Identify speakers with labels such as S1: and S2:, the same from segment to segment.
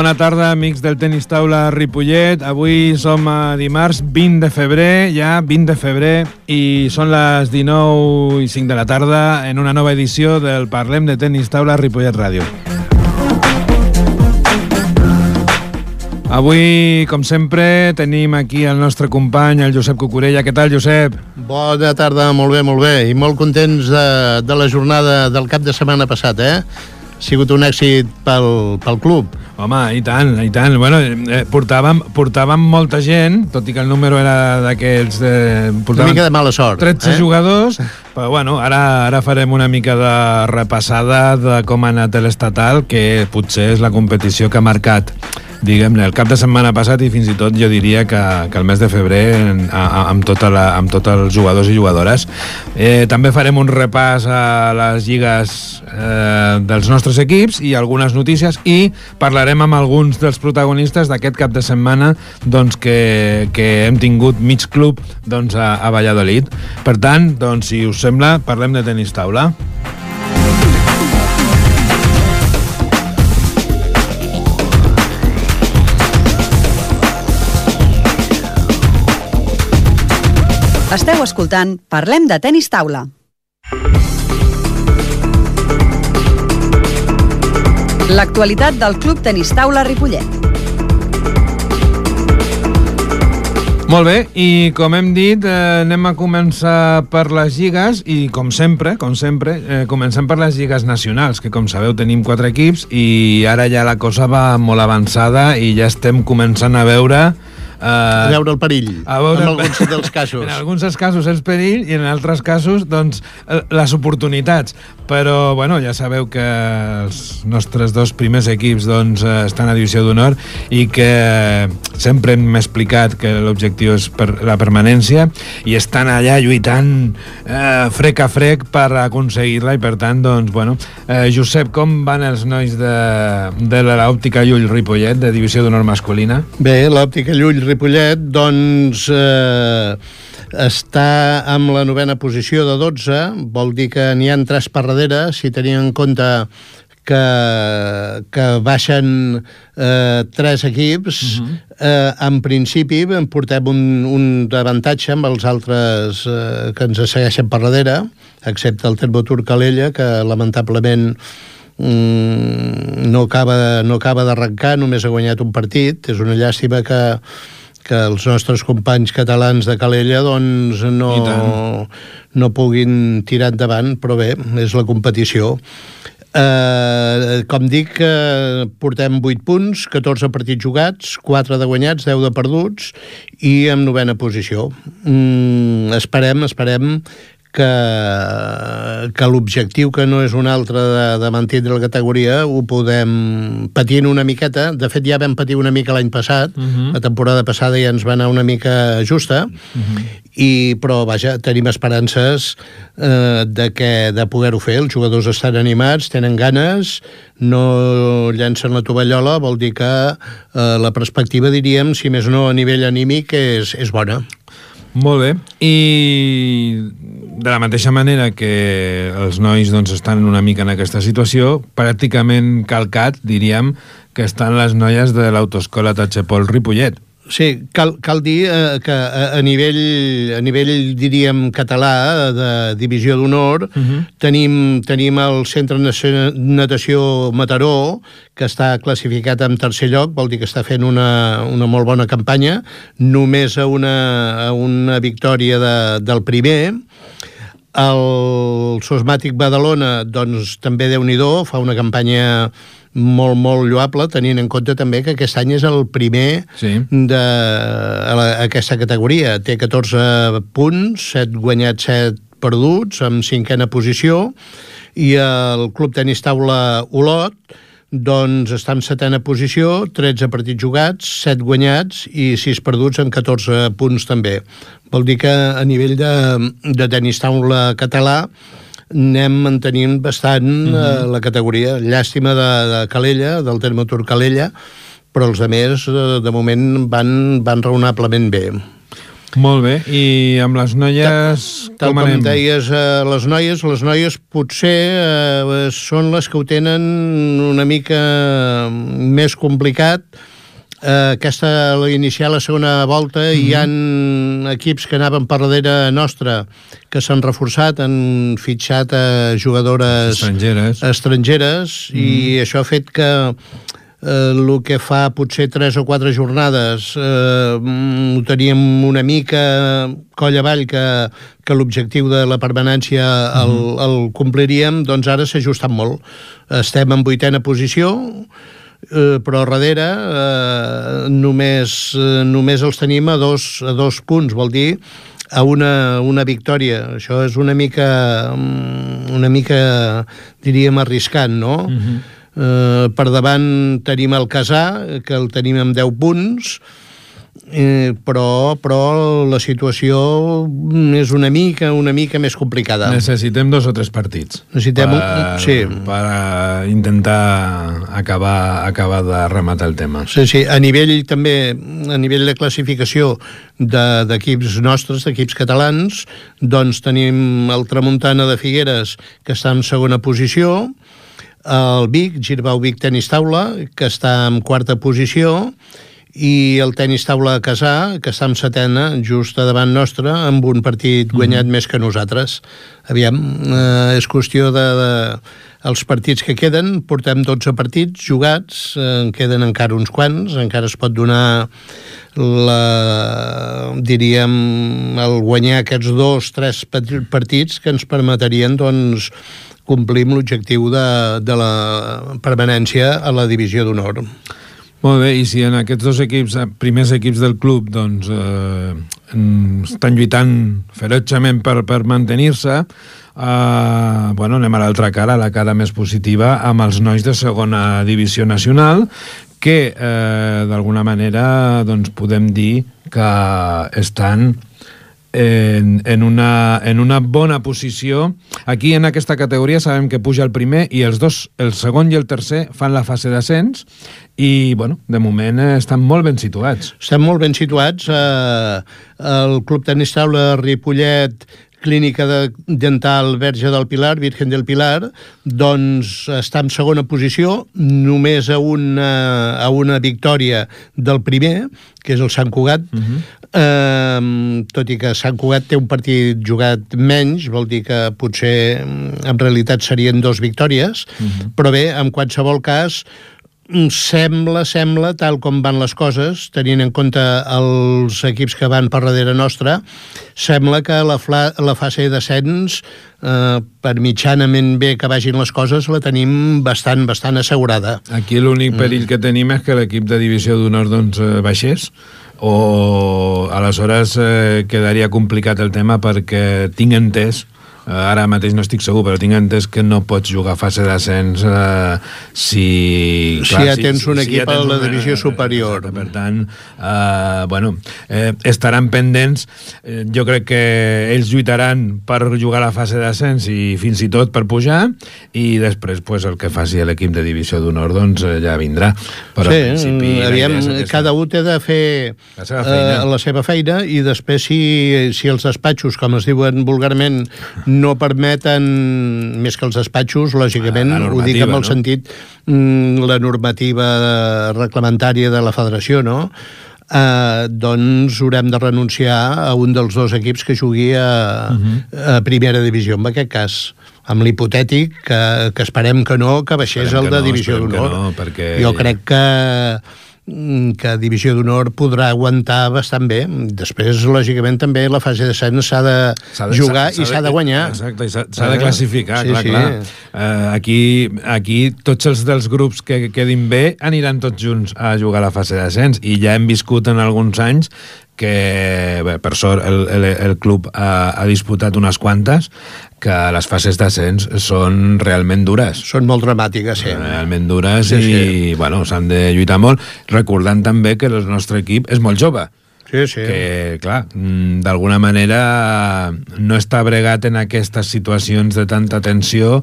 S1: bona tarda, amics del Tenis Taula Ripollet. Avui som a dimarts 20 de febrer, ja 20 de febrer, i són les 19:05 de la tarda en una nova edició del Parlem de Tenis Taula Ripollet Ràdio. Avui, com sempre, tenim aquí el nostre company, el Josep Cucurella. Què tal, Josep?
S2: Bona tarda, molt bé, i molt contents de la jornada del cap de setmana passat, Ha sigut un èxit pel club.
S1: Home, i tant. Bueno, portàvem molta gent, tot i que el número era d'aquells...
S2: Una mica de mala sort.
S1: 13 jugadors, però bueno, ara farem una mica de repassada de com ha anat l'estatal, que potser és la competició que ha marcat, diguem-ne, el cap de setmana passat i fins i tot jo diria que el mes de febrer amb tots els jugadors i jugadores. També farem un repàs a les lligues dels nostres equips i algunes notícies, i parlarem amb alguns dels protagonistes d'aquest cap de setmana, doncs, que hem tingut mig club, doncs, a Valladolid. Per tant, doncs, si us sembla, parlem de tenis taula.
S3: Esteu escoltant Parlem de Tenis Taula. L'actualitat del Club Tenis Taula Ripollet.
S1: Molt bé, i com hem dit, anem a començar per les lligues, i com sempre, comencem per les lligues nacionals, que com sabeu tenim 4 equips, i ara ja la cosa va molt avançada i ja estem començant a veure
S2: el perill, en alguns dels casos.
S1: En alguns dels casos el perill i en altres casos, doncs, les oportunitats. Però, bueno, ja sabeu que els nostres 2 primers equips, doncs, estan a divisió d'honor i que sempre hem explicat que l'objectiu és la permanència, i estan allà lluitant frec a frec per aconseguir-la, i per tant, doncs, bueno, Josep, com van els nois de l'Òptica Llull Ripollet, de divisió d'honor masculina?
S2: Bé, l'Òptica Llull Ripollet, doncs, està amb la 9a posició de 12, vol dir que n'hi ha 3 per darrere, si tenim en compte que baixen 3 equips. En principi en portem un avantatge amb els altres que ens segueixen per darrere, excepte el Termotur Calella, que lamentablement no acaba d'arrencar, només ha guanyat un partit. És una llàstima que els nostres companys catalans de Calella, doncs, no puguin tirar endavant, però bé, és la competició. Com dic, portem 8 punts, 14 partits jugats, 4 de guanyats, 10 de perduts, i en 9a posició. Esperem que l'objectiu, que no és un altre, de mantindre la categoria, ho podem patint una miqueta. De fet, ja vam patir una mica l'any passat. La temporada passada ja ens va anar una mica justa, però vaja, tenim esperances de poder-ho fer. Els jugadors estan animats, tenen ganes, no llancen la tovallola, vol dir que la perspectiva, diríem, si més no a nivell anímic, és bona.
S1: Molt bé, i de la mateixa manera que els nois, doncs, estan una mica en aquesta situació, pràcticament calcat, diríem, que estan les noies de l'Autoescola Tachepol Ripollet.
S2: Sí, cal dir que a nivell, diríem, català, de divisió d'honor, tenim el Centre Natació Mataró, que està classificat en 3è lloc, vol dir que està fent una molt bona campanya, només a una victòria del primer. El Sosmàtic Badalona, doncs, també Déu-n'hi-do, fa una campanya molt, molt lloable, tenint en compte també que aquest any és el primer d'aquesta categoria. Té 14 punts, 7 guanyats, 7 perduts, amb 5a posició, i el Club Tenis Taula Olot, doncs, està en 7a posició, 13 partits jugats, 7 guanyats i 6 perduts, amb 14 punts també. Vol dir que a nivell de tenis taula català anem mantenint bastant la categoria. Llàstima de Calella, del Termotur Calella, però els altres de moment van raonablement bé.
S1: Molt bé, i amb les noies
S2: Tal
S1: com anem?
S2: Com deies, les noies potser són les que ho tenen una mica més complicat. L'iniciar la segona volta hi ha equips que anaven per darrere nostra que s'han reforçat, han fitxat jugadores estrangeres i això ha fet que el que fa potser 3 o 4 jornades ho teníem una mica coll avall que l'objectiu de la permanència el compliríem, doncs ara s'ha ajustat molt. Estem en 8a posició, però darrere només els tenim a dos punts, vol dir a una victòria. Això és una mica diríem arriscant, no? Per davant tenim el Casà, que el tenim amb 10 punts, però la situació és una mica més complicada.
S1: Necessitem 2 o 3 partits per intentar acabar de rematar el tema.
S2: Sí, a nivell de classificació d'equips nostres, d'equips catalans, doncs tenim el Tramuntana de Figueres, que està en segona posició, el Vic, Girbau Vic Tenis Taula, que està en 4a posició, i el Tenis Taula Casà, que està en 7a, just a davant nostre, amb un partit guanyat més que nosaltres. Aviam, és qüestió els partits que queden, portem 12 partits jugats, en queden encara uns quants, encara es pot donar el guanyar aquests 2-3 partits que ens permetrien, doncs, complir l'objectiu de la permanència a la divisió d'honor.
S1: Molt bé, i si en aquests 2 equips, primers equips del club, doncs estan lluitant ferotgement per mantenir-se, anem a l'altra cara, a la cara més positiva, amb els nois de segona divisió nacional, que d'alguna manera doncs, podem dir que estan en una bona posició. Aquí en aquesta categoria sabem que puja el primer i els dos, el segon i el tercer, fan la fase d'ascens i, de moment estan molt ben situats.
S2: Estan molt ben situats. El Club Tenis Taula Ripollet, Clínica Dental Verge del Pilar, Virgen del Pilar, doncs està en segona posició, només a una victòria del primer, que és el Sant Cugat, tot i que Sant Cugat té un partit jugat menys, vol dir que potser en realitat serien 2 victòries, però bé, en qualsevol cas, sembla, tal com van les coses, tenint en compte els equips que van per darrere nostra, sembla que la fase d'ascens, per mitjanament bé que vagin les coses, la tenim bastant assegurada.
S1: Aquí l'únic perill que tenim és que l'equip de divisió d'honor baixés, o aleshores quedaria complicat el tema, perquè tinc entès, ara mateix no estic segur, però tinc entès que no pots jugar fase d'ascens si
S2: ja tens un equip a la divisió superior.
S1: Per tant, estaran pendents. Jo crec que ells lluitaran per jugar la fase d'ascens i fins i tot per pujar, i després el que faci l'equip de divisió d'honor doncs ja vindrà. Però
S2: cada un té de fer la seva feina, i després si els despatxos, com es diuen vulgarment, no permeten, més que els despatxos, lògicament, ho dic amb el sentit, la normativa reglamentària de la federació, no? Doncs haurem de renunciar a un dels 2 equips que jugui a primera divisió, en aquest cas, amb l'hipotètic que esperem que no, que baixés el de divisió d'honor. Jo crec que Divisió d'Honor podrà aguantar bastant bé. Després, lògicament, també la fase d'ascens s'ha de jugar i s'ha de guanyar.
S1: Exacte, i s'ha de classificar, clar. Aquí tots els dels grups que quedin bé aniran tots junts a jugar a la fase d'ascens, i ja hem viscut en alguns anys que, per sort, el club ha disputat unes quantes, que les fases d'ascens són realment dures.
S2: Són molt dramàtiques, sí.
S1: Realment dures, i s'han de lluitar molt, recordant també que el nostre equip és molt jove.
S2: Sí, sí.
S1: Que, clar, d'alguna manera no està bregat en aquestes situacions de tanta tensió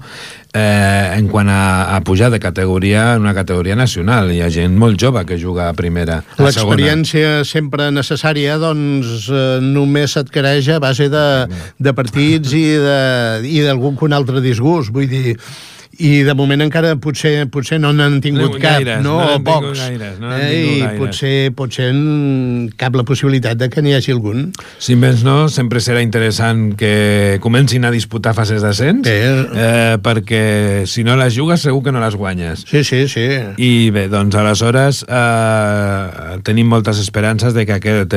S1: en quant a pujar de categoria en una categoria nacional. Hi ha gent molt jove que juga a primera, a segona.
S2: L'experiència sempre necessària, doncs, només s'adquireix a base de partits i d'algun que un altre disgust. Vull dir, i de moment encara potser no n'han tingut cap,
S1: gaires,
S2: no? O pocs. I potser cap la possibilitat de que n'hi hagi algun.
S1: Si més no, sempre serà interessant que comencin a disputar fases d'ascens, perquè si no les jugues segur que no les guanyes.
S2: Sí.
S1: I bé, doncs aleshores tenim moltes esperances de que aquest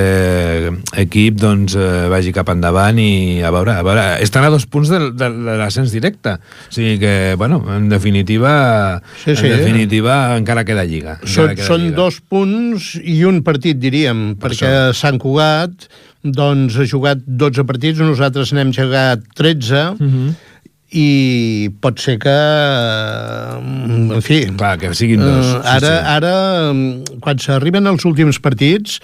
S1: equip doncs, vagi cap endavant i a veure, estan a 2 punts de l'ascens directe. O sigui que, bueno, en definitiva encara queda lliga.
S2: Són 2 punts i un partit, diríem, perquè Sant Cugat doncs, ha jugat 12 partits, nosaltres n'hem jugat 13, i pot ser que, en fi...
S1: Clar, que siguin 2.
S2: Ara, quan s'arriben als últims partits,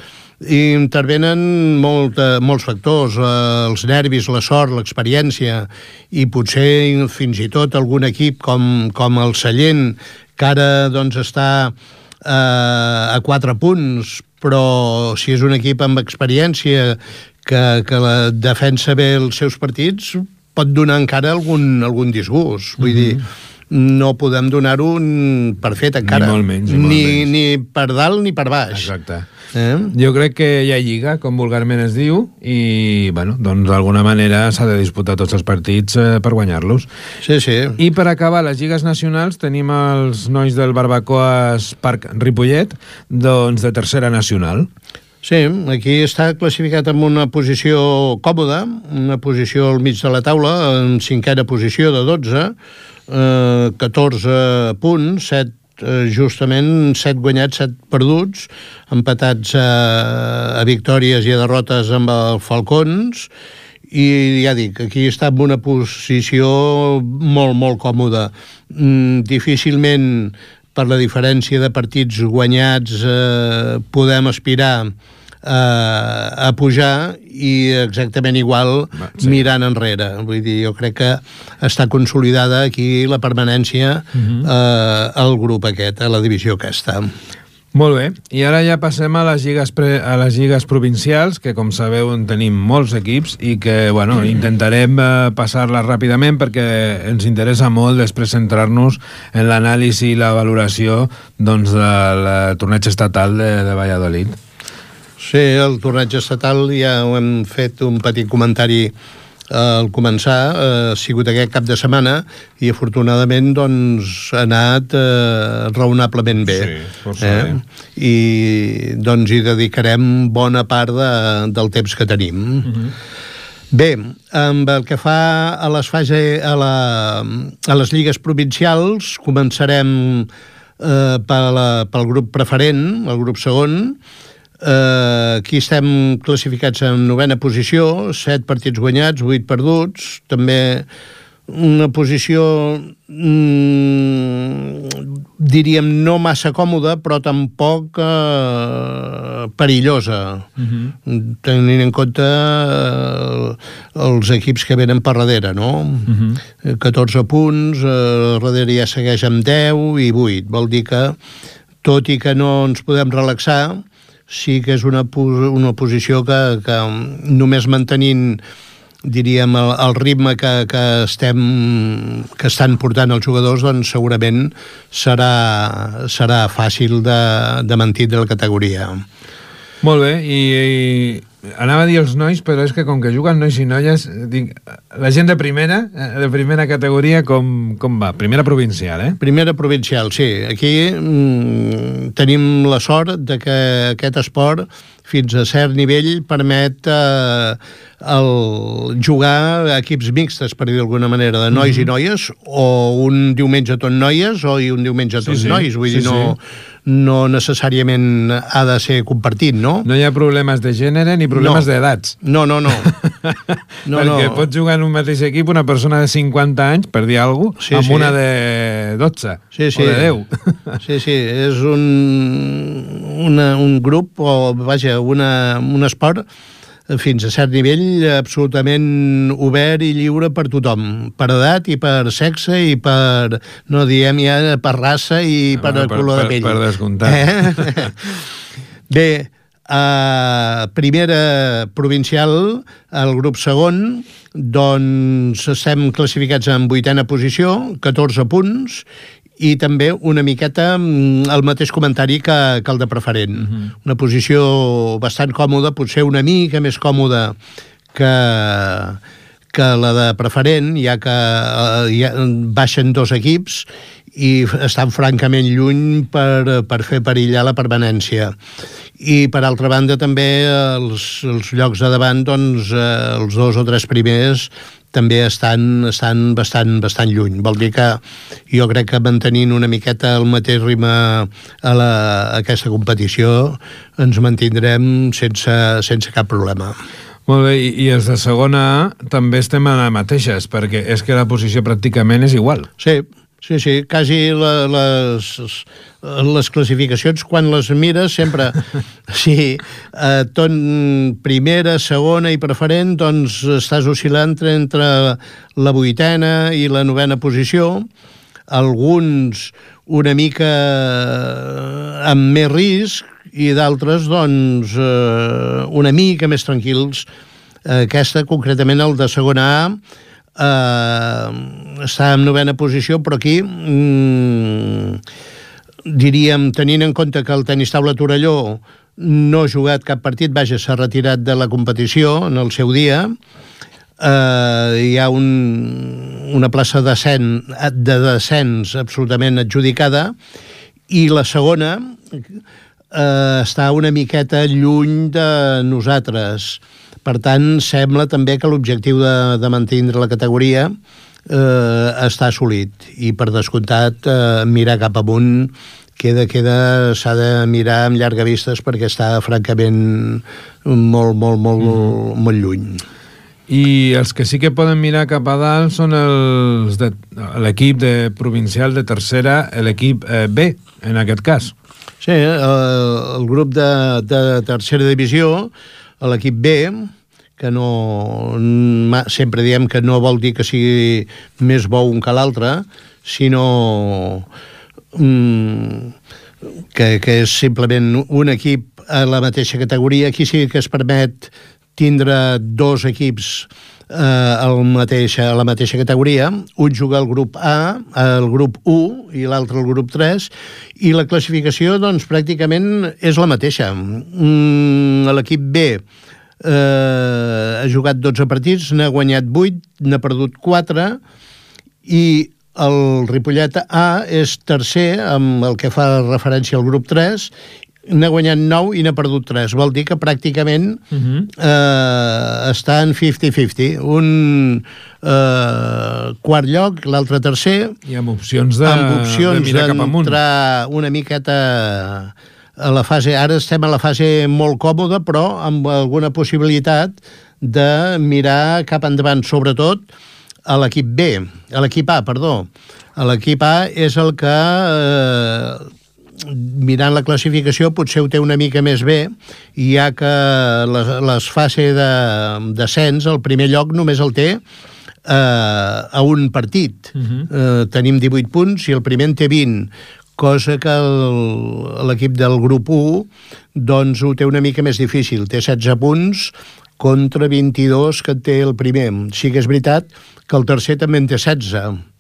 S2: intervenen molts factors, els nervis, la sort, l'experiència, i potser fins i tot algun equip com el Sallent, que ara doncs, està a 4 punts, però si és un equip amb experiència que la defensa bé els seus partits, pot donar encara algun disgust. Vull dir, no podem donar-ho per fet encara.
S1: Ni molt menys.
S2: Ni per dalt ni per baix.
S1: Exacte. Jo crec que hi ha lliga, com vulgarment es diu, i, bueno, doncs d'alguna manera s'ha de disputar tots els partits per guanyar-los.
S2: Sí.
S1: I per acabar les lligues nacionals tenim els nois del Barbacoas Parc Ripollet, doncs de tercera nacional.
S2: Sí, aquí està classificat en una posició còmoda, una posició al mig de la taula, en 5a posició de 12, 14 punts, 7 justament 7 guanyats, 7 perduts, empatats a victòries i a derrotes amb el Falcons, i ja dic, aquí està en una posició molt còmoda. Difícilment, per la diferència de partits guanyats, podem aspirar a pujar, i exactament igual mirant enrere. Vull dir, jo crec que està consolidada aquí la permanència al grup aquest, a la divisió aquesta.
S1: Molt bé, i ara ja passem a les lligues provincials, que com sabeu en tenim molts equips i que, bueno, intentarem passar-les ràpidament perquè ens interessa molt després centrar-nos en l'anàlisi i la valoració doncs, del torneig estatal de Valladolid.
S2: Sí, el torneig estatal ja ho hem fet un petit comentari al començar, ha sigut aquest cap de setmana i afortunadament doncs ha anat raonablement bé.
S1: Sí, força bé.
S2: I doncs hi dedicarem bona part del temps que tenim. Bé, amb el que fa a les lligues provincials, començarem pel grup preferent, el grup segon. Aquí estem classificats en 9a posició, 7 partits guanyats, 8 perduts, també una posició diríem no massa còmoda, però tampoc perillosa, tenint en compte els equips que venen per darrere, no? 14 punts, darrere ja segueix amb 10 i 8, vol dir que tot i que no ens podem relaxar, sí que és una posició que només mantenint, diríem, el ritme que estan portant els jugadors, doncs segurament serà fàcil de mantindre la categoria.
S1: Molt bé, i anava a dir els nois, però és que com que juguen nois i noies, dic, la gent de primera categoria com va? Primera provincial,
S2: Primera provincial, sí. Aquí tenim la sort de que aquest esport fins a cert nivell permet jugar a equips mixtes, per dir d'alguna manera, de nois i noies, o un diumenge tot noies o un diumenge tot nois. Vull dir, no necessàriament ha de ser compartit, no?
S1: No hi ha problemes de gènere ni problemes d'edats.
S2: No.
S1: Perquè pot jugar en un mateix equip una persona de 50 anys, per dir alguna cosa, amb una de 12 o de 10.
S2: Sí, és un grup, o vaja, un esport fins a cert nivell absolutament obert i lliure per tothom, per edat i per sexe i per, no diem ja, per raça i per color de pell.
S1: Per descomptat.
S2: Bé, primera provincial, el grup segon, doncs estem classificats en 8a posició, 14 punts, i també una miqueta el mateix comentari que el de preferent. Una posició bastant còmoda, potser una mica més còmoda que la de preferent, ja que baixen 2 equips i estan francament lluny per fer perillar la permanència. I, per altra banda, també els llocs de davant, doncs, els 2 o 3 primers també estan bastant lluny. Vol dir que jo crec que mantenint una miqueta el mateix ritme a aquesta competició ens mantindrem sense cap problema.
S1: Molt bé, i els de segona A també estem a les mateixes, perquè és que la posició pràcticament és igual.
S2: Sí, quasi les classificacions, quan les mires, sempre, sí, tot primera, segona i preferent, doncs estàs oscil·lant entre la 8a i la 9a posició, alguns una mica amb més risc i d'altres, doncs, una mica més tranquils. Aquesta, concretament, el de segona A, està en 9a posició, però aquí diríem, tenint en compte que el Tenis Taula Torelló no ha jugat cap partit, vaja, s'ha retirat de la competició en el seu dia, hi ha una plaça de descens absolutament adjudicada, i la segona està una miqueta lluny de nosaltres. Per tant, sembla també que l'objectiu de mantenir la categoria està assolit. I, per descomptat, mirar cap amunt s'ha de mirar amb llargavistes perquè està, francament, molt lluny.
S1: I els que sí que poden mirar cap a dalt són l'equip provincial de tercera, l'equip B, en aquest cas.
S2: Sí, el grup de tercera divisió, l'equip B, que sempre diem que no vol dir que sigui més bo un que l'altre, sinó que és simplement un equip a la mateixa categoria. Aquí sí que es permet tindre 2 equips a la mateixa categoria. Un juga al grup A, al grup 1, i l'altre al grup 3, i la classificació, doncs, pràcticament és la mateixa. L'equip B ha jugat 12 partits, n'ha guanyat 8, n'ha perdut 4, i el Ripollet A és tercer, amb el que fa referència al grup 3, n'ha guanyat 9 i n'ha perdut 3. Vol dir que pràcticament està en 50-50. Un quart lloc, l'altre tercer.
S1: I amb opcions de mirar cap amunt.
S2: D'entrar una miqueta a la fase... Ara estem a la fase molt còmoda, però amb alguna possibilitat de mirar cap endavant, sobretot a l'equip B, a l'equip A, perdó. L'equip A és el que... mirant la classificació potser ho té una mica més bé, ja que les fases de descens, el primer lloc només el té a un partit. Tenim 18 punts i el primer en té 20, cosa que l'equip del grup 1 doncs ho té una mica més difícil. Té 16 punts contra 22 que té el primer. Sí que és veritat que el tercer també en té 16.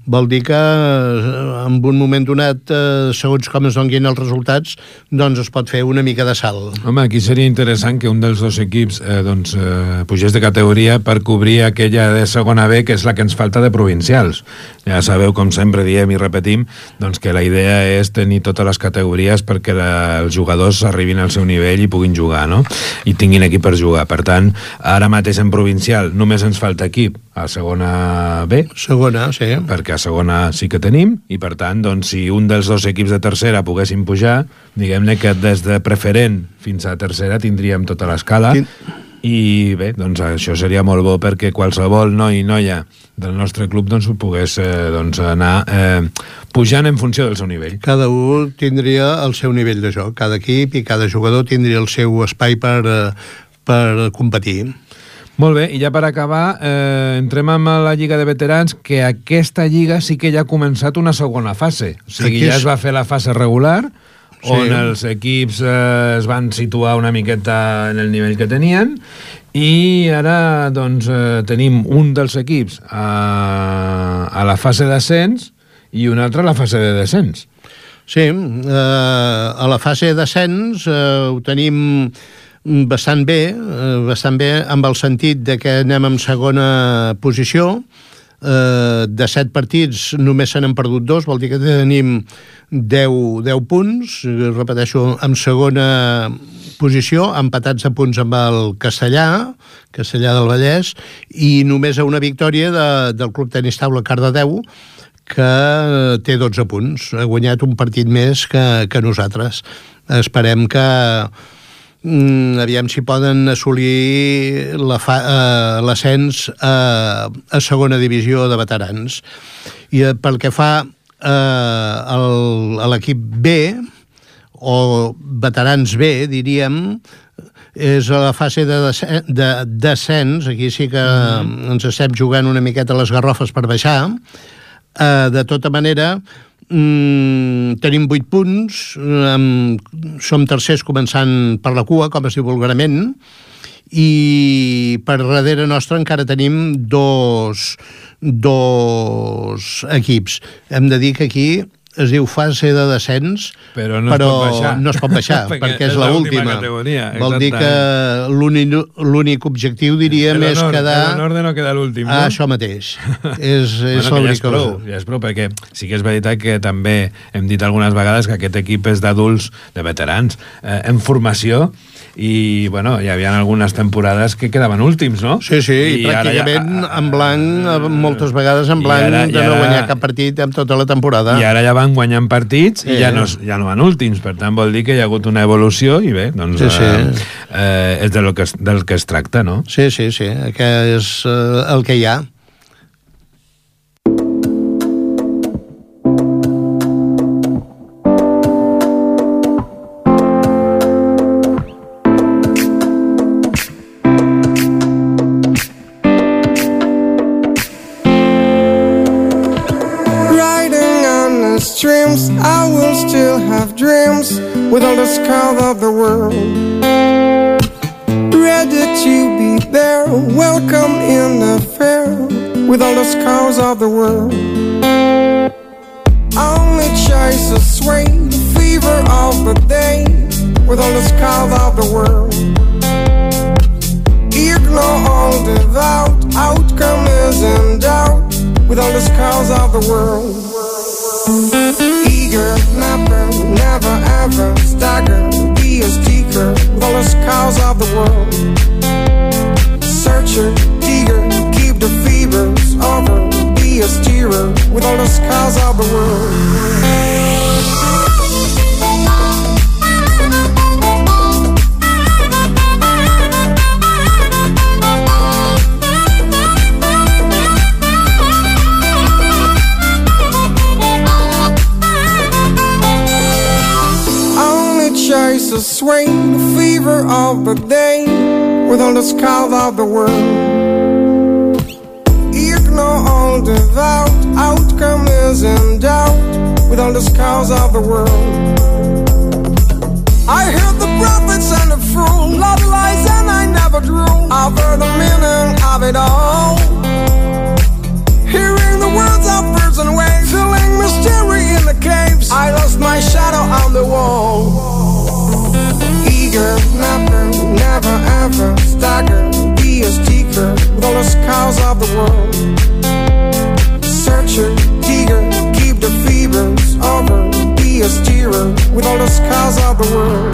S2: Vol dir que en un moment donat, segons com es donin els resultats, doncs es pot fer una mica de salt.
S1: Home, aquí seria interessant que un dels 2 equips pugés de categoria per cobrir aquella de segona B, que és la que ens falta de provincials. Ja sabeu, com sempre diem i repetim, doncs que la idea és tenir totes les categories perquè els jugadors arribin al seu nivell i puguin jugar, no? I tinguin equip per jugar. Per tant, ara mateix en provincial només ens falta equip a segona B.
S2: Segona, sí.
S1: Perquè a segona sí que tenim, i per tant, doncs, si un dels dos equips de tercera poguessin pujar, diguem-ne que des de preferent fins a tercera tindríem tota l'escala, i bé, doncs això seria molt bo perquè qualsevol noi i noia del nostre club doncs pogués anar pujant en funció del seu nivell.
S2: Cada un tindria el seu nivell de joc, cada equip i cada jugador tindria el seu espai per competir.
S1: Molt bé, i ja per acabar, entrem amb la Lliga de Veterans, que aquesta lliga sí que ja ha començat una segona fase. O sigui, ja es va fer la fase regular, on els equips es van situar una miqueta en el nivell que tenien, i ara doncs tenim un dels equips a la fase d'ascens i un altre a la fase de descens.
S2: Sí, a la fase d'ascens ho tenim bastant bé amb el sentit de que anem en segona posició. De 7 partits només se n'han perdut 2, vol dir que tenim 10 punts, repeteixo, en segona posició, empatats a punts amb el Castellà del Vallès, i només a una victòria del Club Tenis Taula Cardedeu, que té 12 punts, ha guanyat un partit més que nosaltres. Esperem que aviam si poden assolir l'ascens a segona divisió de veterans. I pel que fa a l'equip B, o veterans B, diríem, és a la fase de descens. Aquí sí que ens estem jugant una miqueta les garrofes per baixar. De tota manera, tenim 8 punts, som tercers començant per la cua, com es diu vulgarment, i per darrere nostre encara tenim dos equips. Hem de dir que aquí es diu fase de descens, però no es pot baixar perquè és l'última. Vol dir que l'únic objectiu, diríem, és quedar...
S1: L'honor de no quedar l'últim, no?
S2: Això mateix. És l'únic cosa.
S1: Ja és prou, perquè sí que és veritat que també hem dit algunes vegades que aquest equip és d'adults, de veterans, en formació, i bueno, hi havia algunes temporades que quedaven últims, no?
S2: Sí, i pràcticament en blanc, moltes vegades en blanc, de no guanyar cap partit en tota la temporada.
S1: I ara ja van guanyant partits i ja no van últims, per tant vol dir que hi ha hagut una evolució i bé, doncs és del que es tracta, no?
S2: Sí, que és el que hi ha.
S4: I will still have dreams with all the scars of the world. Ready to be there, welcome in the fair with all the scars of the world. Only chase a sway, the fever of the day with all the scars of the world. Ignore all the doubt, outcome is in doubt with all the scars of the world. Eager, never ever stagger, be a seeker with all the scars of the world. Searcher, eager, keep the fevers over, be a steerer with all the scars of the world. Chase a sway, the fever of the day with all the scars of the world. Ignore all the doubt, outcome is in doubt with all the scars of the world. I heard the prophets and the fool, love lies and I never drew. I've heard the meaning of it all, hearing the words of birds and waves, feeling mystery in the caves. I lost my shadow on the wall. Eager, never ever stagger, be a seeker with all the scars of the world. Searcher, eager, keep the fevers over, be a steerer with all the scars of the world.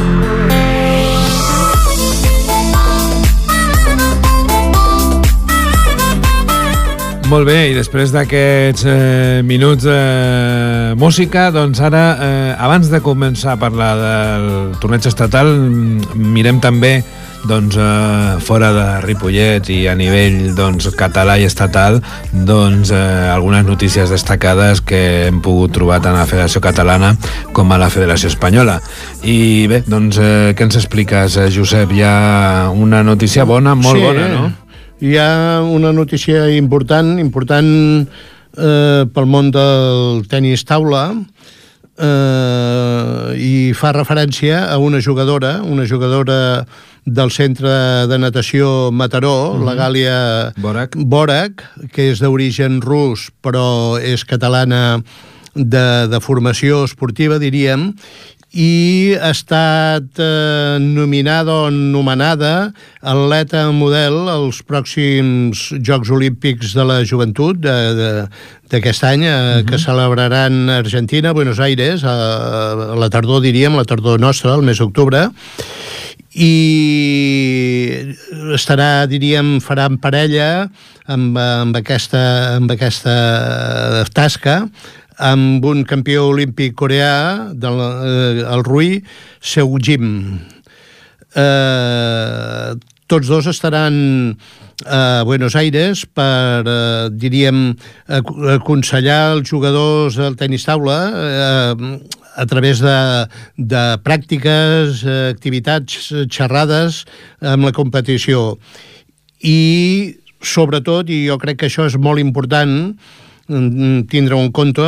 S1: Molt bé, i després d'aquests minuts de música, doncs ara, abans de començar a parlar del torneig estatal, mirem també doncs, fora de Ripollet i a nivell doncs, català i estatal, doncs, algunes notícies destacades que hem pogut trobar tant a la Federació Catalana com a la Federació Espanyola. I bé, doncs, què ens expliques, Josep? Hi ha una notícia bona, molt bona, no?
S2: Hi ha una notícia important pel món del tenis taula, i fa referència a una jugadora del centre de natació Mataró, la Gàlia Borac, que és d'origen rus, però és catalana de formació esportiva, diríem, i ha estat nominada o nomenada atleta model als pròxims Jocs Olímpics de la Joventut d'aquest any, que celebraran a Argentina, a Buenos Aires, a la tardor, diríem, la tardor nostra, el mes d'octubre, i estarà, diríem, farà en parella amb aquesta tasca amb un campió olímpic coreà, el Rui Seung-jim. Tots dos estaran a Buenos Aires per, diríem, aconsellar els jugadors del tenis taula a través de pràctiques, activitats, xerrades amb la competició. I, sobretot, i jo crec que això és molt important, tindre-ho en compte,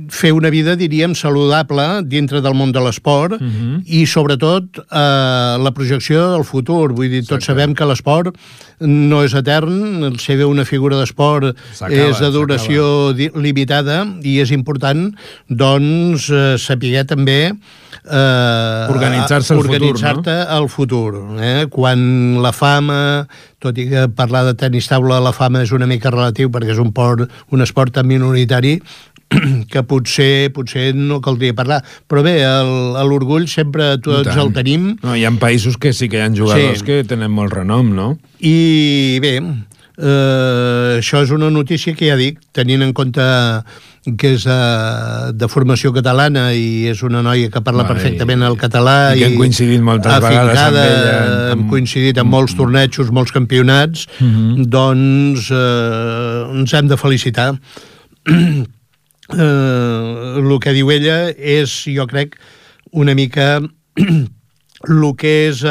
S2: fer una vida, diríem, saludable dintre del món de l'esport i, sobretot, la projecció del futur. Vull dir, tots sabem que l'esport no és etern, ser una figura d'esport és de duració limitada i és important, doncs, saber també organitzar-te al futur. Quan la fama, tot i que parlar de tenis taula, la fama és una mica relatiu perquè és un esport tan minoritari que potser no caldria parlar. Però bé, l'orgull sempre tots el tenim.
S1: No, hi ha països que sí que hi ha jugadors que tenen molt renom, no?
S2: I bé, això és una notícia que ja dic, tenint en compte que és de formació catalana i és una noia que parla perfectament el català
S1: i que hem coincidit moltes vegades amb ella.
S2: Hem coincidit en molts tornejos, molts campionats, doncs ens hem de felicitar. El que diu ella és, jo crec, una mica el que és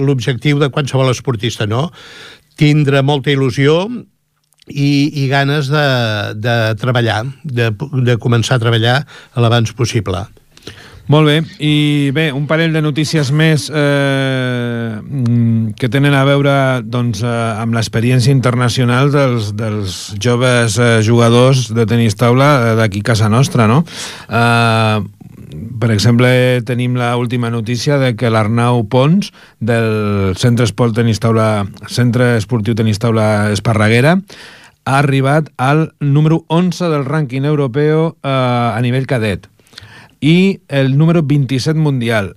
S2: l'objectiu de qualsevol esportista, no? Tindre molta il·lusió i ganes de treballar, de començar a treballar l'abans possible.
S1: Molt bé, i bé, un parell de notícies més que tenen a veure doncs, amb l'experiència internacional dels joves jugadors de tenis taula d'aquí a casa nostra, no? Per exemple, tenim l'última notícia de que l'Arnau Pons del Centre Esportiu Tenis Taula Esparreguera ha arribat al número 11 del rànquing europeu a nivell cadet i el número 27 mundial.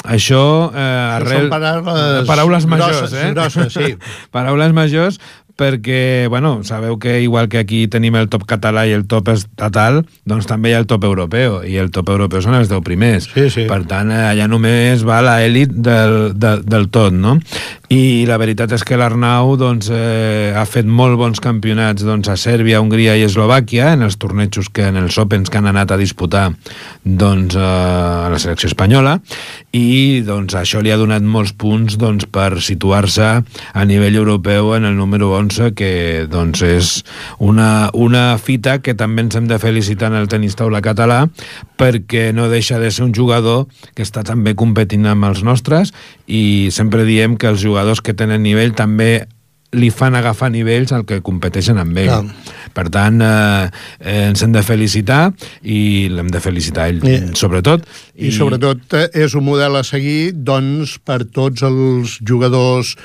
S1: Això arrel...
S2: Són
S1: paraules majors,
S2: grosses, sí.
S1: Paraules majors, perquè, bueno, sabeu que igual que aquí tenim el top català i el top estatal, doncs també hi ha el top europeu, i el top europeu són els 10 primers.
S2: Sí.
S1: Per tant, allà només va l'elit del tot, no? I la veritat és que l'Arnau doncs, ha fet molt bons campionats doncs, a Sèrbia, Hongria i Eslovàquia, en els tornejos en els Opens que han anat a disputar doncs, a la selecció espanyola, i doncs, això li ha donat molts punts doncs, per situar-se a nivell europeu en el número 11, que doncs, és una fita que també ens hem de felicitar en el tenis taula català, perquè no deixa de ser un jugador que està també competint amb els nostres, i sempre diem que els jugadors que tenen nivell també li fan agafar nivells al que competeixen amb ell. Per tant, ens hem de felicitar i l'hem de felicitar ell, sobretot.
S2: I sobretot és un model a seguir doncs, per tots els jugadors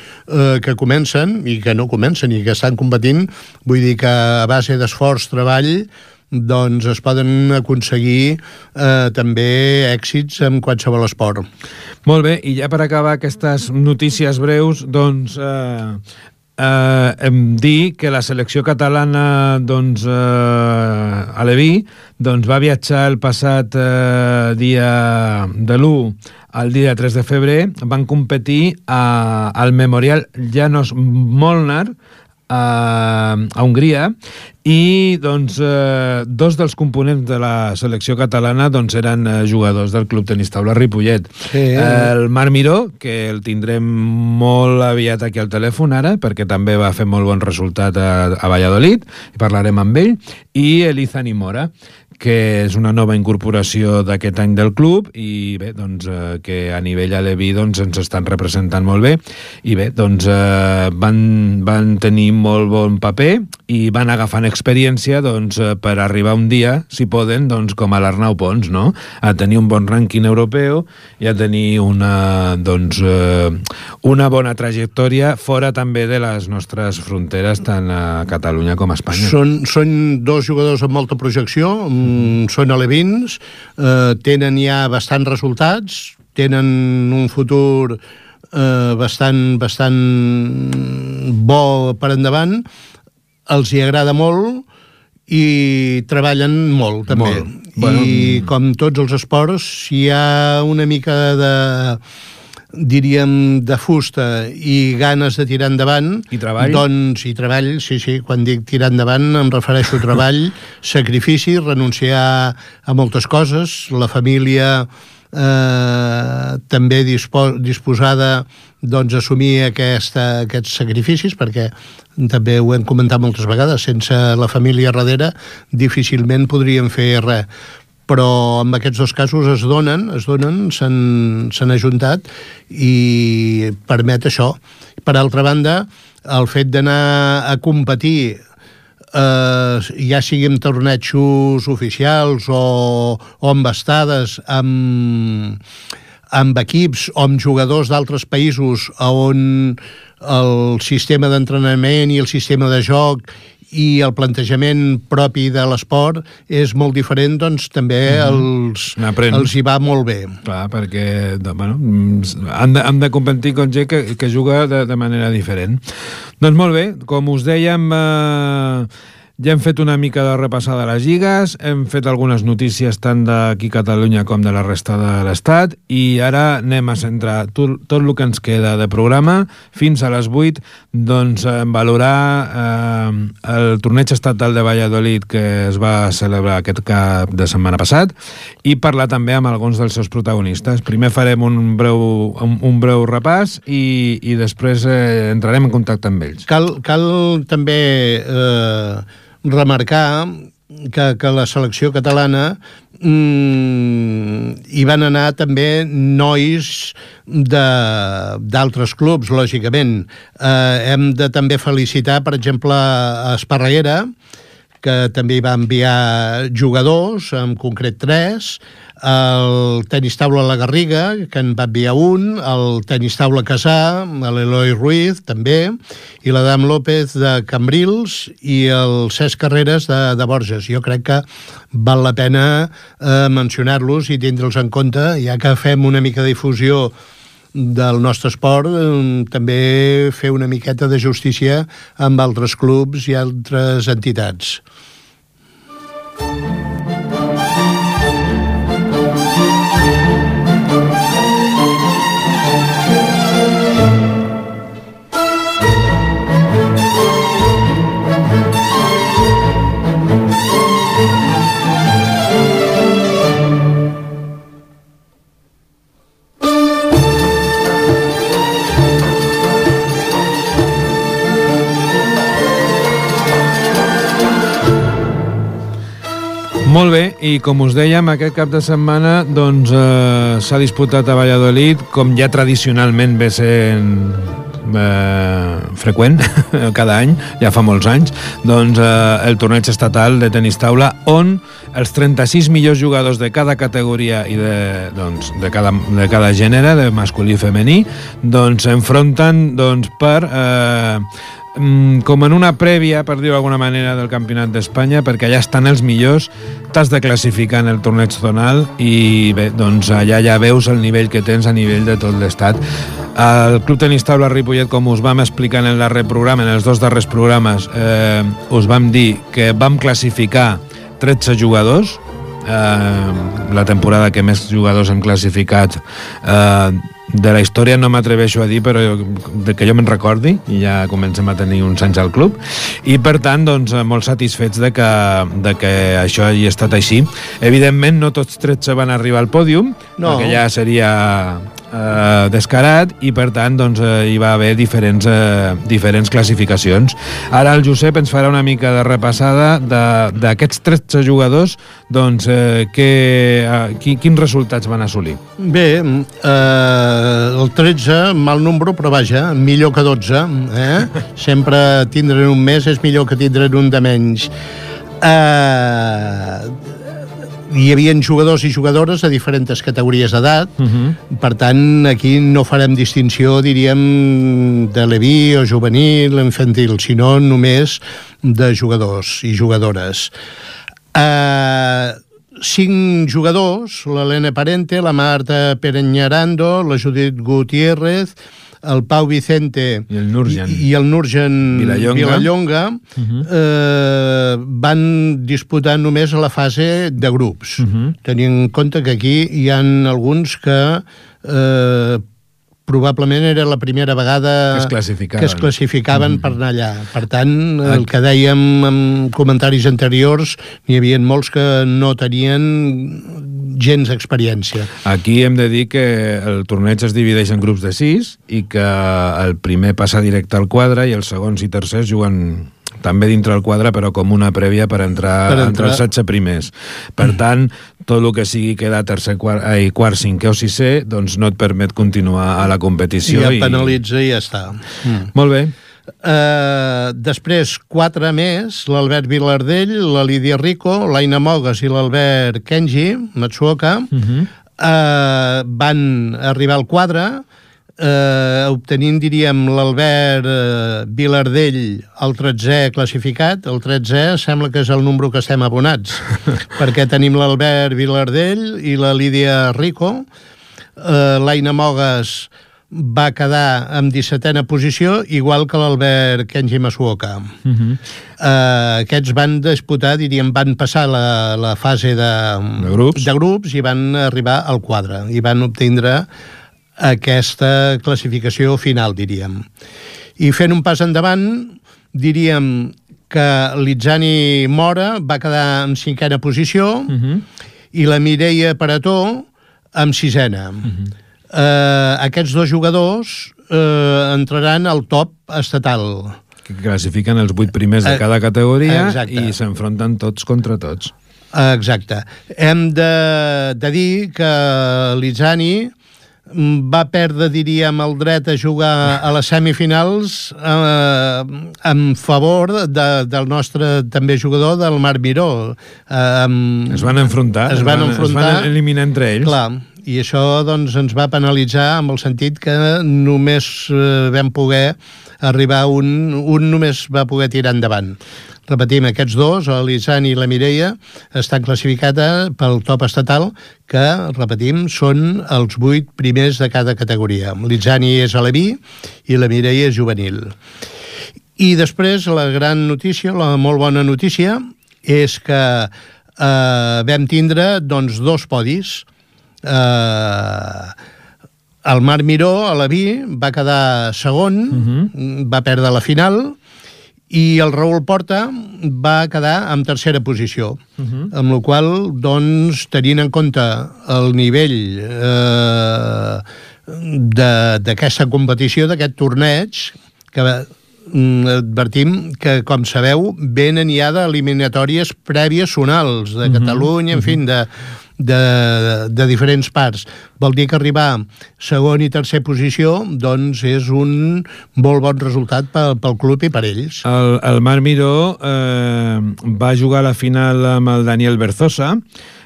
S2: que comencen i que no comencen i que estan competint. Vull dir que a base d'esforç, treball, doncs es poden aconseguir també èxits en qualsevol esport.
S1: Molt bé, i ja per acabar aquestes notícies breus, doncs dir que la selecció catalana doncs, aleví doncs, va viatjar el passat dia de l'1 al dia 3 de febrer, van competir al Memorial János Molnár a Hongria, i doncs, dos dels components de la selecció catalana doncs, eren jugadors del Club Tenis Taula Ripollet. Sí. El Marc Miró, que el tindrem molt aviat aquí al telèfon ara, perquè també va fer molt bon resultat a Valladolid, i parlarem amb ell, i Elizani Mora, que és una nova incorporació d'aquest any del club, i bé, doncs, que a nivell aleví doncs, ens estan representant molt bé, i bé, doncs, van tenir molt bon paper i van agafant experiència doncs, per arribar un dia, si poden, doncs, com a l'Arnau Pons, no? A tenir un bon rànquing europeu i a tenir una bona trajectòria fora també de les nostres fronteres, tant a Catalunya com a Espanya.
S2: Són dos jugadors amb molta projecció, són alevins, tenen ja bastants resultats, tenen un futur bastant bo per endavant, els hi agrada molt i treballen molt, també. Molt. Bueno, i com tots els esports, si hi ha una mica diríem, de fusta i ganes de tirar endavant,
S1: i treball?
S2: Doncs, i treball, sí, quan dic tirar endavant em refereixo a treball, sacrifici, renunciar a moltes coses, la família també disposada doncs, a assumir aquests sacrificis, perquè també ho hem comentat moltes vegades, sense la família darrere difícilment podríem fer res. Però en aquests dos casos es donen, s'han ajuntat i permet això. Per altra banda, el fet d'anar a competir, ja sigui en tornejos oficials o amb estades, amb equips o amb jugadors d'altres països on el sistema d'entrenament i el sistema de joc i el plantejament propi de l'esport és molt diferent, doncs també els hi va molt bé.
S1: Clar, perquè han de competir amb gent que juga de manera diferent. Doncs molt bé, com us dèiem, ja hem fet una mica de repassada de les lligues, hem fet algunes notícies tant d'aquí a Catalunya com de la resta de l'Estat, i ara anem a centrar tot el que ens queda de programa fins a les 8, doncs valorar el torneig estatal de Valladolid que es va celebrar aquest cap de setmana passat i parlar també amb alguns dels seus protagonistes. Primer farem un breu repàs i després entrarem en contacte amb ells.
S2: Cal també remarcar que la selecció catalana hi van anar també nois d'altres clubs, lògicament. Hem de també felicitar, per exemple, a Esparreguera, que també hi va enviar jugadors, en concret 3, el tenis taula La Garriga, que en va enviar un, el tenis taula Casà, l'Eloi Ruiz, també, i l'Adam López de Cambrils i el Cesc Carreras de Borges. Jo crec que val la pena mencionar-los i tindre'ls en compte, ja que fem una mica de difusió del nostre esport, també fer una miqueta de justícia amb altres clubs i altres entitats.
S1: Molt bé, i com us dèiem, aquest cap de setmana doncs, s'ha disputat a Valladolid, com ja tradicionalment ve sent freqüent cada any, ja fa molts anys, doncs el torneig estatal de tenis taula, on els 36 millors jugadors de cada categoria i de cada gènere, de masculí i femení, doncs s'enfronten per com en una prèvia, per dir-ho d'alguna manera, del Campionat d'Espanya, perquè allà estan els millors, t'has de classificar en el torneig zonal i bé, doncs allà ja veus el nivell que tens a nivell de tot l'estat. El Club Tenis Taula Ripollet, com us vam explicar en el darrer programa, en els dos darrers programes, us vam dir que vam classificar 13 jugadors, la temporada que més jugadors han classificat de la història no m'atreveixo a dir, però que jo me'n recordi, i ja comencem a tenir uns anys al club, i per tant, doncs, molt satisfets de que això hagi estat així. Evidentment, no tots 13 van arribar al pòdium, perquè ja seria descarat, i per tant doncs, hi va haver diferents classificacions. Ara el Josep ens farà una mica de repassada d'aquests 13 jugadors, doncs, quins resultats van assolir.
S2: Bé, el 13, mal número, però vaja, millor que 12. Sempre tindre'n un més és millor que tindre'n un de menys. Hi havia jugadors i jugadores de diferents categories d'edat, per tant, aquí no farem distinció, diríem, de leví o juvenil, infantil, sinó només de jugadors i jugadores. 5 jugadors, l'Helena Parente, la Marta Pereñarando, la Judit Gutiérrez, el Pau Vicente
S1: i
S2: el Nurjan Vilallonga van disputar només a la fase de grups. Tenint en compte que aquí hi ha alguns que probablement era la primera vegada que es classificaven per anar allà. Per tant, el que dèiem en comentaris anteriors, n'hi havia molts que no tenien gens experiència.
S1: Aquí hem de dir que el torneig es divideix en grups de 6 i que el primer passa directe al quadre i els segons i tercers juguen també dintre el quadre, però com una prèvia per entrar entre els 16 primers. Per tant, tot el que sigui quedar tercer, quart, cinquè o sisè, doncs no et permet continuar a la competició.
S2: Ja penalitza i ja està.
S1: Molt bé.
S2: Després, 4 més, l'Albert Vilardell, la Lídia Rico, l'Aina Mogues i l'Albert Kenji Matsuoka, van arribar al quadre, obtenint, diríem, l'Albert Vilardell el 13è classificat. El 13è sembla que és el número que estem abonats, perquè tenim l'Albert Vilardell i la Lídia Rico. L'Aina Mogues va quedar en 17a posició, igual que l'Albert Kenji Masuoka. Aquests van disputar, diríem, van passar la fase de grups i van arribar al quadre i van obtindre aquesta classificació final, diríem. I fent un pas endavant, diríem que l'Itzani Mora va quedar en 5a posició i la Mireia Parató en 6a. Aquests dos jugadors entraran al top estatal.
S1: Que classifiquen els 8 primers de cada categoria i s'enfronten tots contra tots.
S2: Exacte. Hem de dir que l'Itzani va perdre, diríem, el dret a jugar a les semifinals en favor del nostre també jugador, del Marc Miró.
S1: Es van enfrontar, es van eliminar entre ells.
S2: Clar, i això doncs, ens va penalitzar en el sentit que només vam poder arribar un només va poder tirar endavant. Repetim, aquests dos, l'Itzani i la Mireia, estan classificats pel top estatal, que, repetim, són els 8 primers de cada categoria. L'Itzani és aleví i la Mireia és juvenil. I després, la gran notícia, la molt bona notícia, és que vam tindre doncs, 2 podis. El Marc Miró, aleví, va quedar segon, va perdre la final, i el Raül Porta va quedar en 3a posició, amb la qual cosa, doncs, tenint en compte el nivell d'aquesta competició, d'aquest torneig, que advertim que, com sabeu, venen ja d'eliminatòries prèvies zonals de Catalunya, en fi, de diferents parts. Vol dir que arribar segon i tercer posició doncs és un molt bon resultat pel club i per ells.
S1: El Marc Miró va jugar a la final amb el Daniel Berzosa,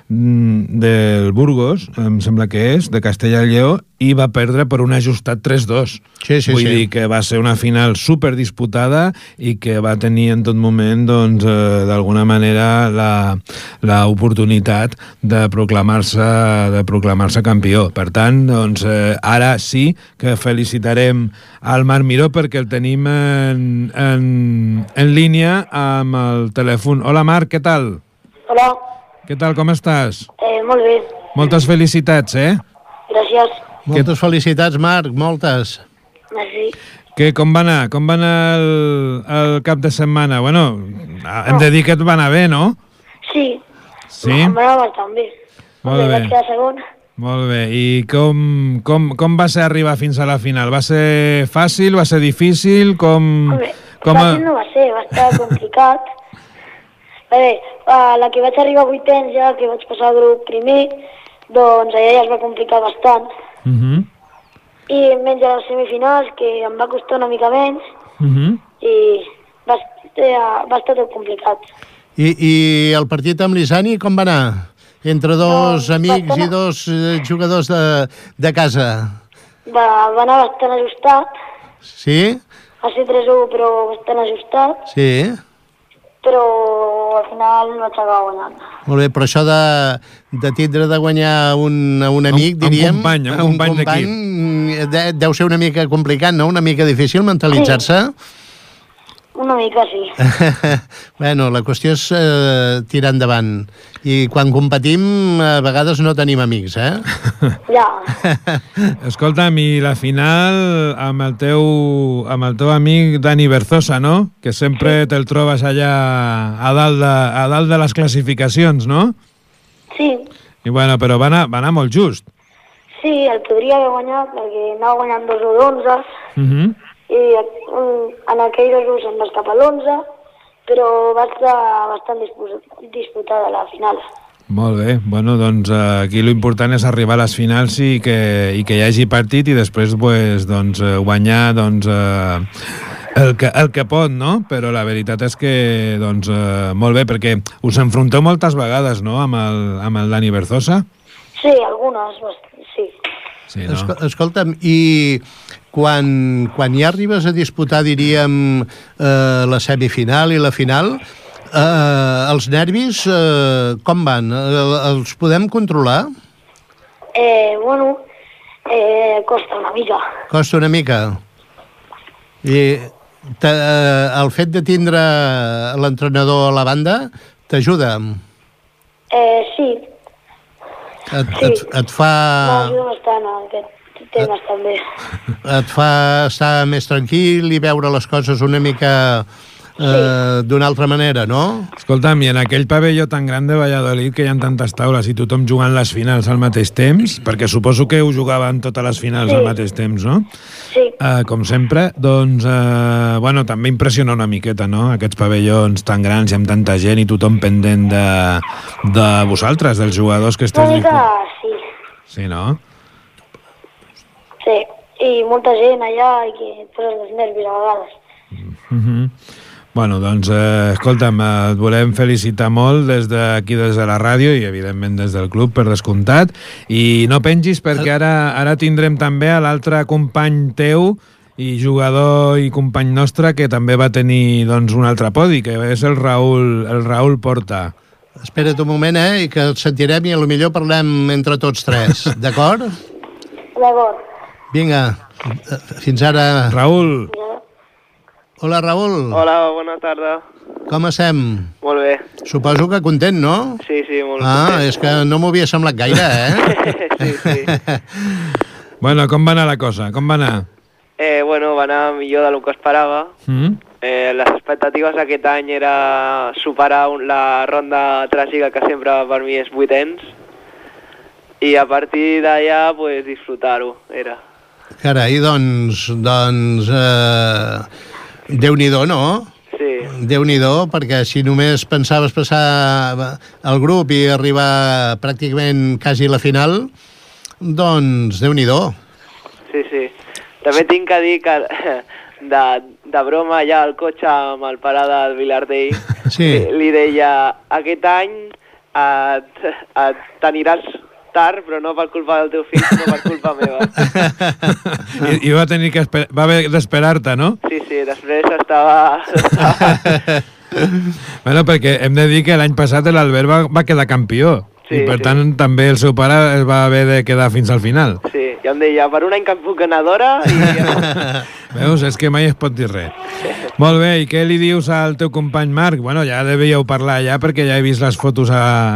S1: del Burgos, em sembla que és, de Castella i Lleó, i va perdre per un ajustat 3-2. Vull dir que va ser una final superdisputada i que va tenir en tot moment, doncs, d'alguna manera, l'oportunitat de proclamar-se campió. Per tant, doncs, ara sí que felicitarem al Marc Miró perquè el tenim en línia amb el telèfon. Hola, Marc, què tal?
S5: Hola.
S1: Què tal, com estàs?
S5: Molt bé.
S1: Moltes felicitats,
S5: Gràcies.
S2: Moltes felicitats, Marc, moltes.
S5: Merci.
S1: Com va anar? Com va anar el cap de setmana? Bueno, hem de dir que et va anar bé, no?
S5: Sí.
S1: Sí?
S5: Em va anar bastant bé.
S1: Molt bé.
S5: Vaig quedar segon.
S1: Molt bé. I com va ser arribar fins a la final? Va ser fàcil? Va ser difícil?
S5: Home, fàcil no va ser, va estar complicat. Bé, la que vaig arribar a vuitens ja, que vaig passar al grup primer, doncs allà ja es va complicar bastant. I menys a les semifinals, que em va costar una mica menys, i va estar tot complicat.
S2: I el partit amb l'Isani com va anar? Entre dos amics i dos jugadors de casa.
S5: Va anar bastant ajustat.
S2: Sí?
S5: Va ser 3-1, però bastant ajustat.
S2: Sí.
S5: Però al final vaig acabar guanyant.
S2: Molt bé, però això de tindre de guanyar un amic, diríem...
S1: Un company d'equip.
S2: Deu ser una mica complicat, no? Una mica difícil mentalitzar-se?
S5: Una mica, sí.
S2: Bueno, la qüestió és tirar endavant. I quan competim, a vegades no tenim amics,
S5: Ja.
S1: Escolta'm, i la final amb el teu amic Dani Berzosa, no? Que sempre te'l trobes allà a dalt de les classificacions, no?
S5: Sí.
S1: I bueno, però va anar molt just.
S5: Sí, el podria haver guanyat, perquè anava guanyant 2-11, i en aquell 2 se'n va escapar l'11, però va estar bastant disputada la final.
S1: Molt bé, bueno, doncs aquí l'important és arribar a les finals i que hi hagi partit i després pues, doncs, guanyar doncs, el que pot, no? Però la veritat és que doncs, molt bé, perquè us enfronteu moltes vegades, no?, amb el Dani Berzosa?
S5: Sí, algunes, sí.
S1: Sí, no?
S2: Escolta'm, i quan ja arribes a disputar, diríem, la semifinal i la final, els nervis com van? Els podem controlar?
S5: Bueno, costa una mica.
S2: Costa una mica. I el fet de tindre l'entrenador a la banda t'ajuda?
S5: Sí.
S2: Et fa...
S5: M'ajuda bastant aquest temes també.
S2: Et fa estar més tranquil i veure les coses una mica d'una altra manera, no?
S1: Escolta'm, i en aquell pavelló tan gran de Valladolid que hi ha tantes taules i tothom jugant les finals al mateix temps, perquè suposo que ho jugaven totes les finals al mateix temps, no?
S5: Sí.
S1: Com sempre, doncs, bueno, també impressiona una miqueta, no?, aquests pavellons tan grans i amb tanta gent i tothom pendent de vosaltres, dels jugadors que esteu...
S5: Una mica, sí.
S1: Sí, no?
S5: Sí, i molta gent allà i que et poses els nervis a vegades.
S1: Bueno, doncs, escolta'm, et volem felicitar molt des d'aquí, des de la ràdio i, evidentment, des del club, per descomptat. I no pengis, perquè ara tindrem també a l'altre company teu i jugador i company nostre que també va tenir, doncs, un altre podi, que és el Raül Porta.
S2: Espera't un moment, i que el sentirem i potser parlem entre tots tres, d'acord?
S5: D'acord.
S2: Vinga, fins ara.
S1: Raül.
S2: Hola, Raül.
S6: Hola, bona tarda.
S2: Com estem?
S6: Molt bé.
S2: Suposo que content, no?
S6: Sí, molt content.
S2: És que no m'ho havia semblat gaire,
S6: Sí.
S2: Bueno,
S1: com va anar la cosa? Com va anar?
S6: Bueno, va anar millor del que esperava. Les expectatives aquest any era superar la ronda tràgica que sempre per mi és vuitens i a partir d'allà pues, disfrutar-ho, era.
S2: Carai, doncs Déu-n'hi-do, no?
S6: Sí.
S2: Déu-n'hi-do, perquè si només pensaves passar el grup i arribar pràcticament quasi a la final, doncs Déu-n'hi-do.
S6: Sí. També tinc que dir que de broma ja al cotxe amb el pare del Vilardell li deia, aquest any t'aniràs tard, però no per culpa del teu fill, sinó per culpa meva.
S1: I va tenir que va haver d'esperar-te, no?
S6: Sí, després estava...
S1: Bueno, perquè hem de dir que l'any passat l'Albert va quedar campió.
S6: Sí,
S1: i per tant també el seu pare es va haver de quedar fins al final.
S6: Sí, ja em deia, per un any que puc anar d'hora i...
S1: Veus, és que mai es pot dir res. Molt bé, i què li dius al teu company Marc? Bueno, ja devíeu parlar ja perquè ja he vist les fotos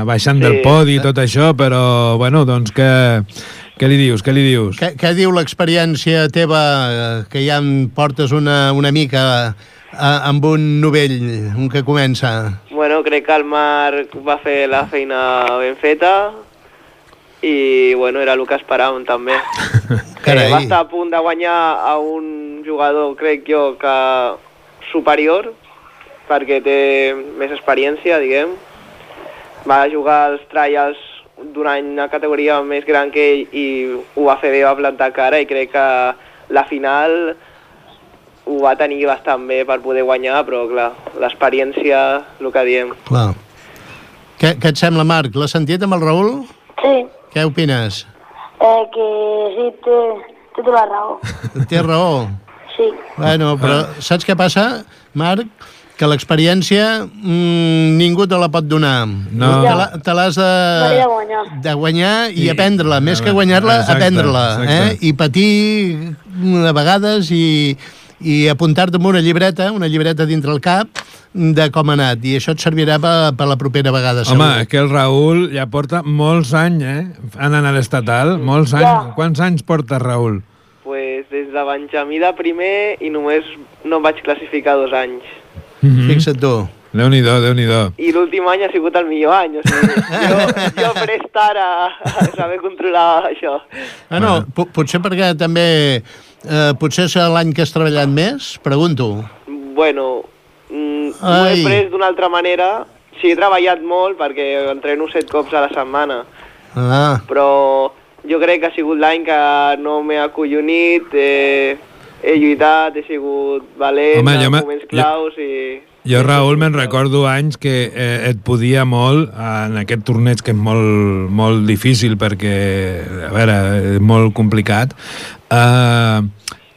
S1: baixant del podi i tot això, però, bueno, doncs què li dius? Què li dius?
S2: Què diu l'experiència teva, que ja em portes una mica amb un novell, un que comença?
S6: Bueno, crec que el Marc va fer la feina ben feta i, bueno, era el que esperàvem també. Va estar a punt de guanyar a un jugador, crec jo, que superior, perquè té més experiència, diguem. Va jugar als trials d'un any una categoria més gran que ell i ho va fer bé, va plantar cara i crec que la final ho va tenir bastant bé per poder guanyar, però clar, l'experiència, el que diem.
S2: Clar. Què et sembla, Marc? L'has sentit amb el Raül?
S5: Sí.
S2: Què opines?
S5: Que sí, té tota la raó.
S2: Té raó?
S5: Sí.
S2: Bueno, però saps què passa, Marc? Que l'experiència ningú te la pot donar.
S1: No.
S2: Te l'has de guanyar i aprendre-la. Més que guanyar-la, aprendre-la. I patir a vegades i apuntar-te en una llibreta dintre el cap de com ha anat. I això et servirà per la propera vegada.
S1: Home, és que el Raül ja porta molts anys, anant a l'estatal. Molts anys. Ja. Quants anys porta, Raül?
S6: Pues des de Benjamí de primer i només no em vaig classificar 2 anys.
S2: Fixa't tu.
S1: Déu-n'hi-do, Déu-n'hi-do.
S6: I l'últim any ha sigut el millor any. O sigui, jo prest ara a saber controlar això.
S2: Bueno, potser perquè també... potser és l'any que has treballat més? Pregunto.
S6: Bueno, ho he pres d'una altra manera. Sí, he treballat molt perquè entreno 7 cops a la setmana. Però jo crec que ha sigut l'any que no m'he acollonit, he lluitat, he sigut valent, en moments claus i...
S1: Jo, Raül, me'n recordo anys que et podia molt en aquest torneig que és molt difícil perquè, a veure, és molt complicat,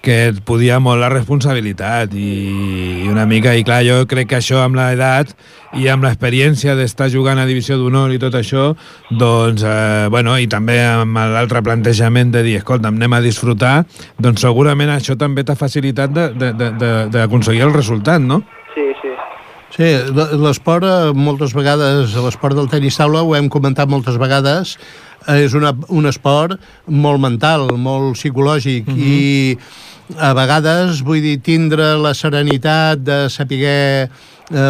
S1: que et podia molt la responsabilitat i una mica, i clar, jo crec que això amb l'edat i amb l'experiència d'estar jugant a Divisió d'Honor i tot això, doncs, bueno, i també amb l'altre plantejament de dir, escolta, anem a disfrutar, doncs segurament això també t'ha facilitat d'aconseguir el resultat, no?
S2: Sí, l'esport, moltes vegades, l'esport del tenis taula, ho hem comentat moltes vegades, és un esport molt mental, molt psicològic, i a vegades, vull dir, tindre la serenitat de saber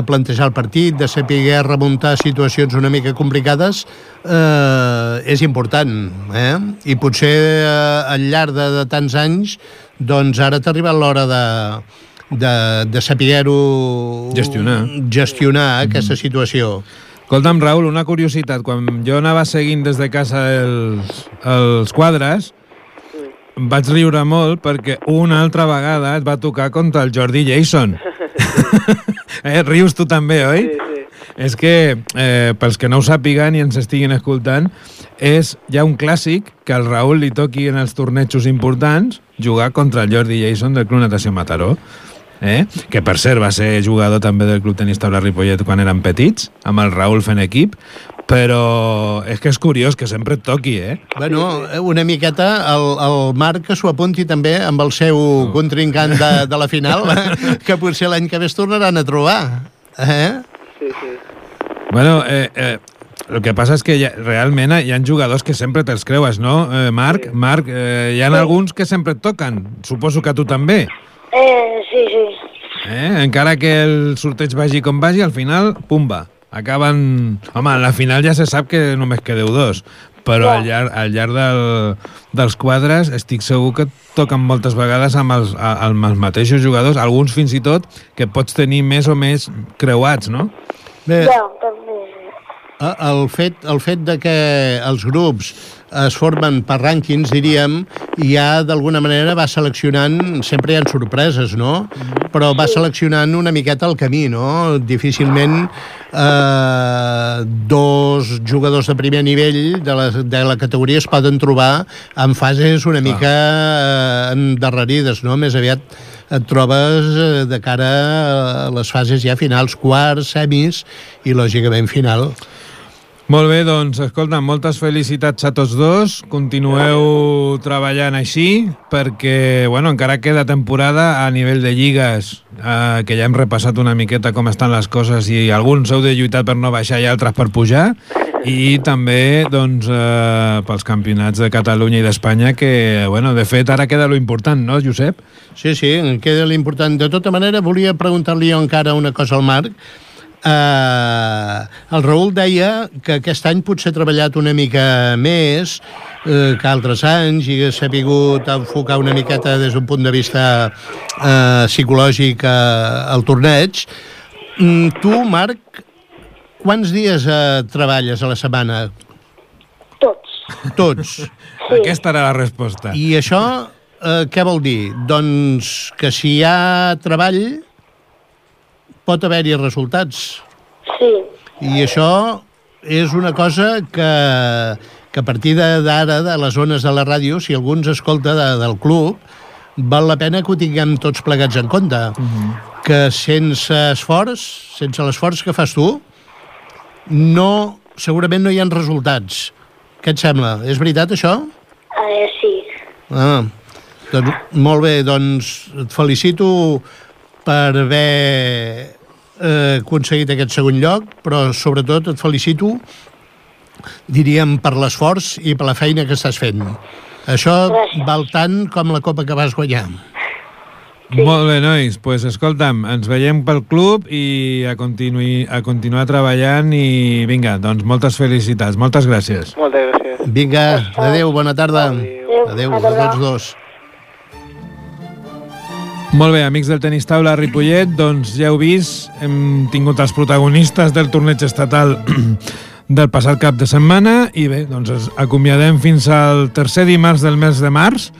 S2: plantejar el partit, de saber remuntar situacions una mica complicades, és important, I potser al llarg de tants anys, doncs ara t'ha arribat l'hora de saber-ho gestionar aquesta situació.
S1: Escolta'm, Raül, una curiositat. Quan jo anava seguint des de casa els quadres, vaig riure molt perquè una altra vegada et va tocar contra el Jordi Jason. Rius tu també, oi?
S6: Sí.
S1: És que, pels que no ho sàpiguen i ens estiguin escoltant, és ja un clàssic que al Raül li toqui en els tornejos importants jugar contra el Jordi Jason del Club Natació Mataró. Que per cert va ser jugador també del Club Tenis Taula Ripollet quan eren petits, amb el Raül fent equip, però és que és curiós que sempre et toqui,
S2: Bueno, una miqueta el Marc que s'ho apunti també amb el seu contrincant de la final, que potser l'any que ve es tornaran a trobar.
S6: Sí.
S1: Bueno, el que passa és que realment hi ha jugadors que sempre te'ls creues, no, Marc? Marc, hi ha alguns que sempre et toquen, suposo que a tu també.
S5: Sí.
S1: Encara que el sorteig vagi com vagi, al final, pumba, acaben... Home, a la final ja se sap que només quedeu 2, però al llarg dels quadres estic segur que et toquen moltes vegades amb els mateixos jugadors, alguns fins i tot que pots tenir més o més creuats, no?
S2: Bé, el fet de que els grups es formen per rànquings, diríem, i ja d'alguna manera va seleccionant, sempre hi ha sorpreses, no? Però va seleccionant una miqueta el camí, no? Difícilment dos jugadors de primer nivell de la categoria es poden trobar en fases una mica endarrerides, no? Més aviat et trobes de cara a les fases ja finals, quarts, semis i lògicament final.
S1: Molt bé, doncs, escolta, moltes felicitats a tots dos. Continueu treballant així, perquè, bueno, encara queda temporada a nivell de lligues, que ja hem repassat una miqueta com estan les coses i alguns heu de lluitar per no baixar i altres per pujar, i també, doncs, pels campionats de Catalunya i d'Espanya, que, bueno, de fet, ara queda lo important, no, Josep?
S2: Sí, queda l'important. De tota manera, volia preguntar-li jo encara una cosa al Marc. El Raül deia que aquest any potser ha treballat una mica més que altres anys i s'ha sabut enfocar una miqueta des d'un punt de vista psicològic al torneig. Tu, Marc, quants dies treballes a la setmana? Tots.
S5: Sí.
S1: Aquesta era la resposta.
S2: I això què vol dir? Doncs que si hi ha treball pot haver-hi resultats.
S5: Sí.
S2: I això és una cosa que a partir d'ara, de les zones de la ràdio, si algú ens escolta del club, val la pena que ho tinguem tots plegats en compte. Que sense l'esforç que fas tu, segurament no hi ha resultats. Què et sembla? És veritat, això?
S5: Sí.
S2: Doncs, molt bé, doncs et felicito per haver aconseguit aquest segon lloc, però sobretot et felicito, diríem, per l'esforç i per la feina que estàs fent. Això val tant com la copa que vas guanyar.
S1: Sí. Molt bé, nois. Pues, escolta'm, ens veiem pel club i a continuar treballant i vinga, doncs moltes felicitats. Moltes gràcies.
S6: Moltes gràcies.
S2: Vinga, adéu, bona tarda. Adéu a tots dos.
S1: Molt bé, amics del Tenis Taula a Ripollet, doncs ja heu vist, hem tingut els protagonistes del torneig estatal del passat cap de setmana i bé, doncs ens acomiadem fins al tercer dimarts del mes de març,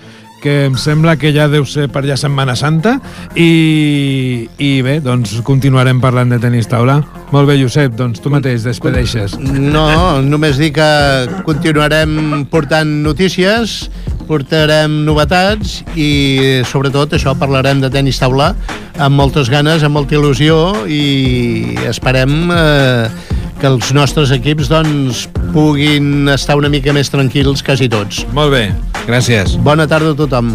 S1: que em sembla que ja deu ser per allà Setmana Santa i bé, doncs continuarem parlant de Tenis Taula. Molt bé, Josep, doncs tu mateix despedeixes.
S2: No, només dir que continuarem portant notícies, portarem novetats i sobretot això, parlarem de Tenis Taula amb moltes ganes, amb molta il·lusió i esperem que els nostres equips doncs, puguin estar una mica més tranquils quasi tots.
S1: Molt bé, gràcies.
S2: Bona tarda a tothom.